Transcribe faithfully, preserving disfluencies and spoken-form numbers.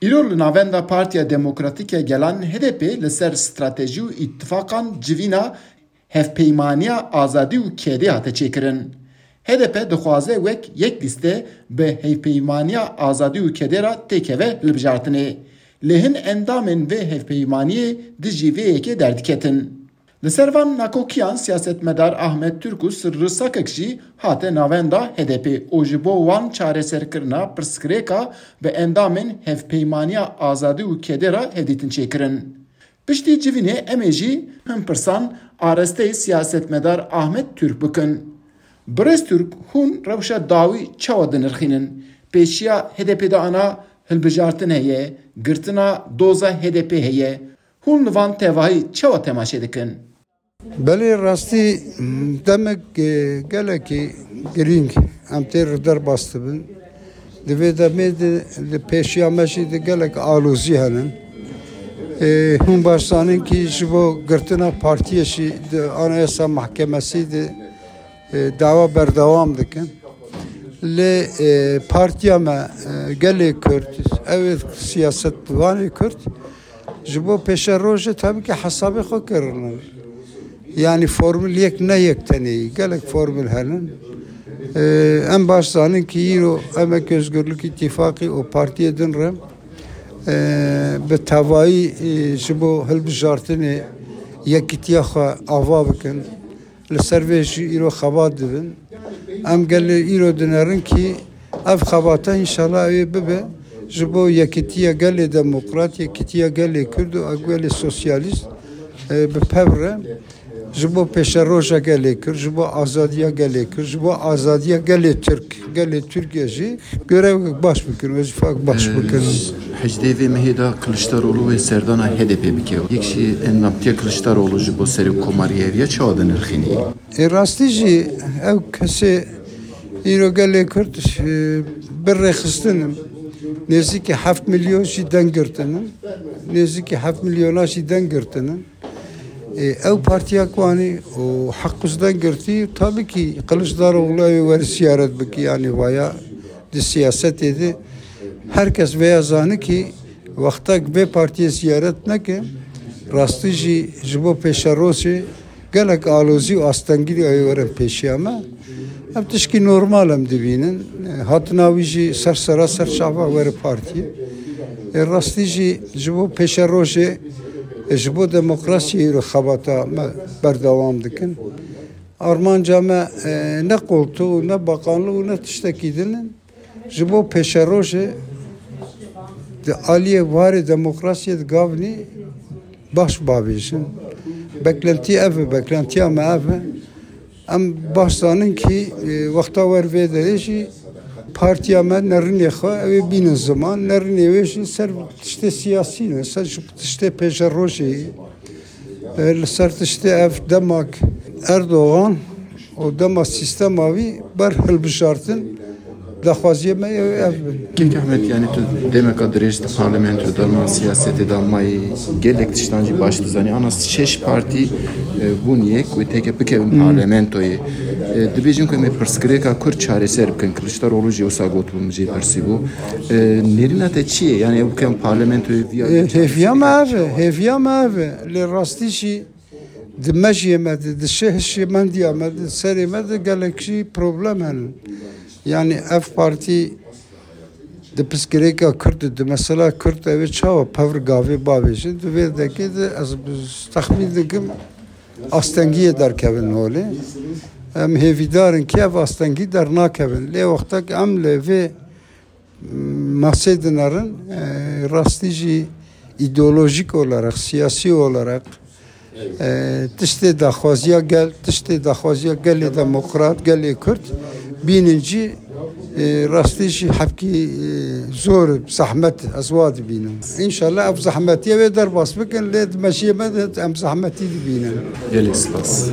Îro li navenda Partiya Demokratîk ya Gelan, H D P, li ser stratejî û îtifaqan civîna Hevpeymaniya Azadî û Kêdê hate çêkirin. H D P dixwaze wek yek lîste bi Hevpeymaniya Azadî û Kêdê re têkeve hilbijartinê. Lê hin endamên vê hevpeymaniyê dijî vê yekê derdiketin. Li ser van nakokiyan siyasetmedar Ahmet Türk û Sirri Sakek jî hate navenda H D P û ji bo wan çareserkirina pirsgirêka bi endamên Hevpeymaniya Azadî û Kêdê re hevdîtin çêkirin. Piştî civînê em ê jî hin pirsan arasteyî siyasetmedar Ahmet Türk bikin. Birêz Türk, hûn rewşa dawî çawa dinirxînin? Pêşiya H D P de ana hilbijartin heye, girtina doza H D P heye. Hûn li van tevahî çawa temaşe dikin? Belê rastî demek, e, gelekî girîng em tê re derbas dibin. Di vê demê de li pêşiya me jî di gelek alozî henin. E, hûn baş zanin kî ji bo girtina partiyê jî di Anayasa Mahkemesî de, e, dawa berdewam dikin. Lê, e, partiya me, e, gelê Kurd, ew ê siyasetvanê Kurd, ji bo pêşerojê tabii ki hesabê xwe kirine. Yani formül yek ne yek tenê, gelek formül henin. Ee, em baş zanin ki îro Emek Özgürlük İttifakı û partiyê din re, ee, bi tevayî, ee, ji bo hilbijartinê yekîtiya xwe ava bikin. Li ser vê jî îro xebat dibin. Em gelê îro dinerin kî ev xebata înşallah ê bibe ji bo yekîtiya gelê demokrat, yekîtiya gelê Kurd û gelê sosyalîst, e, bi pev re ji bo pêşeroja gelê Kurd, ji bo azadiya gelê Kurd, ji bo azadiya gelê Tirk, gelê Tirkiye jî görevek baş bikin, wezîfek baş bikin. Hejdê vê mehê de Kiliçdaroglu wê serdana H D P bike. Yek jî endamtiya Kiliçdaroglu ji bo serokkomariya hevî ya çawa dinirxînî? Ê rastî jî ew kesê îro gelê Kurd, e, bi rêxistin in. Nêzîkî heft milyon jî deng girtin in. Nêzîkî heft milyona jî deng girtin in. Ê, ew partiya ku anî û heq û deng girtî, tabii ki Kiliçdaroglu ew ê were ziyaret bikî, yanî vaya di siyasetê de her kes vêya zani ki wextek vê partiyê ziyaret neke, rastî jî ji bo pêşerojê gelek alozî û astengî ew ê werin pêşiya me. Ev tişkî normal em dibînin. Hatina wî jî ser sera ser çava were partiyê. Ê rastî jî ji bo pêşerojê, ê ji bo demokrasiyê îro xebata me berdewam dikin. Armanca me, e, ne qoltû, ne baqanlî û ne tiştekî din in. Ji bo pêşerojê di aliyê warê demokrasiyê di gavnî baş bavêjin. Beklentî ev e, beklentiya me ev e. Em baş zanin kî, e, wexta wer vê derê jî partiya me nerînê xwe ew ê bînin ziman, nerînê wê jî ser tiştê siyasî ne, ser ji tiştê pêşerojê, e, li ser tiştê ev demak Erdogan û dema sîstema wî ber hilbijartin daxwaziyê me ew, ev bin. Kek Ehmed, yani tu demeka dirêj di parlamentoyê de, na siyasetê de mayî, gelek tiştan jî baş dizanî. Ana şeş partî, e, bûn yek wê teke bikevin parlamentoyê. E, dibêjin ku em ê pirsgirêka Kurd çareser bikin. Kiliçdaroglu jî wisa gotibû, min jê pirsîbû. E, nêrîna te çi ye? Yani ew bikevin parlamentoyê viya E, hêviya me ev e, hêviya me ev e. Lê rastî jî di mejiyê me de, di şehişê mendiya me de, serê me de gelek jî problem hene. Yani ev partî di pirsgirêka Kurd de, di mesela Kurd ew ê çawa pevr gavê bavêjin, di vê dekê de ez bi-, texmîn dikim astengiyê derkevin holê. Em hêvîdar in ki ev astengî dernakevin. Lê wextek em li vê masê dinerin, e, rastî jî îdeolojîk olarak, siyasî olarak, e, tiştê daxwaziya gel, tiştê daxwaziya gelê demokrat, gelê Kurd bînin jî, e, rastî jî hepkî, e, zor, zehmet ez wa dibînim. Înşallah ev zehmetiye wê derbas bikin, lê di mejiyê me de em zehmetî dibînin. Gelek spas.